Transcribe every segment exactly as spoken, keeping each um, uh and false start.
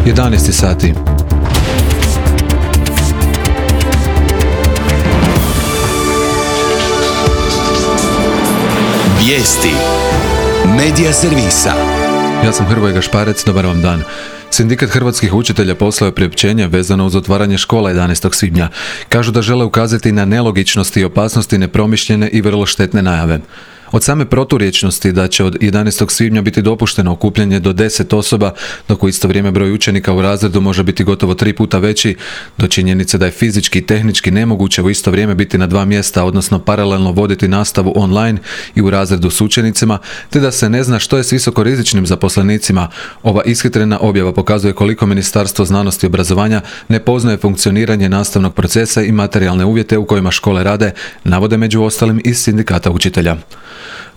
jedanaest sati. Vijesti Medija servisa. Ja sam Hrvoje Gašparec, dobar vam dan. Sindikat hrvatskih učitelja poslao je priopćenje vezano uz otvaranje škola jedanaestog svibnja. Kažu da žele ukazati na nelogičnosti i opasnosti nepromišljene i vrlo štetne najave. Od same proturječnosti da će od jedanaestog svibnja biti dopušteno okupljanje do deset osoba, dok u isto vrijeme broj učenika u razredu može biti gotovo tri puta veći, do činjenice da je fizički i tehnički nemoguće u isto vrijeme biti na dva mjesta, odnosno paralelno voditi nastavu online i u razredu s učenicima, te da se ne zna što je s visokorizičnim zaposlenicima. Ova ishitrena objava pokazuje koliko Ministarstvo znanosti i obrazovanja ne poznaje funkcioniranje nastavnog procesa i materijalne uvjete u kojima škole rade, navode među ostalim iz sindikata učitelja.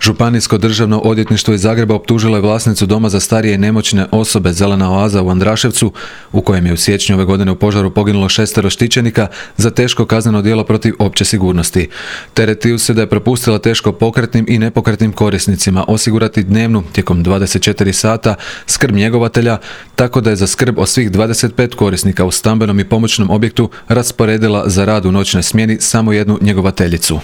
Županijsko državno odvjetništvo iz Zagreba optužilo je vlasnicu doma za starije i nemoćne osobe Zelena oaza u Andraševcu, u kojem je u siječnju ove godine u požaru poginulo šestero štićenika, za teško kazneno djelo protiv opće sigurnosti. Teretiju se da je propustila teško pokretnim i nepokretnim korisnicima osigurati dnevnu, tijekom dvadeset četiri sata, skrb njegovatelja, tako da je za skrb od svih dvadeset pet korisnika u stambenom i pomoćnom objektu rasporedila za rad u noćnoj smjeni samo jednu njegovateljicu.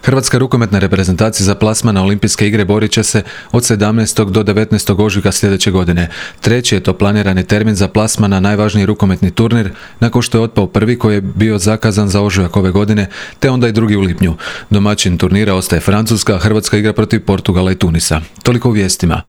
Hrvatska rukometna reprezentacija za plasman na Olimpijske igre borit će se od sedamnaestog do devetnaestog ožujka sljedeće godine. Treći je to planirani termin za plasman na najvažniji rukometni turnir, nakon što je otpao prvi koji je bio zakazan za ožujak ove godine, te onda i drugi u lipnju. Domaćin turnira ostaje Francuska, a Hrvatska igra protiv Portugala i Tunisa. Toliko u vijestima.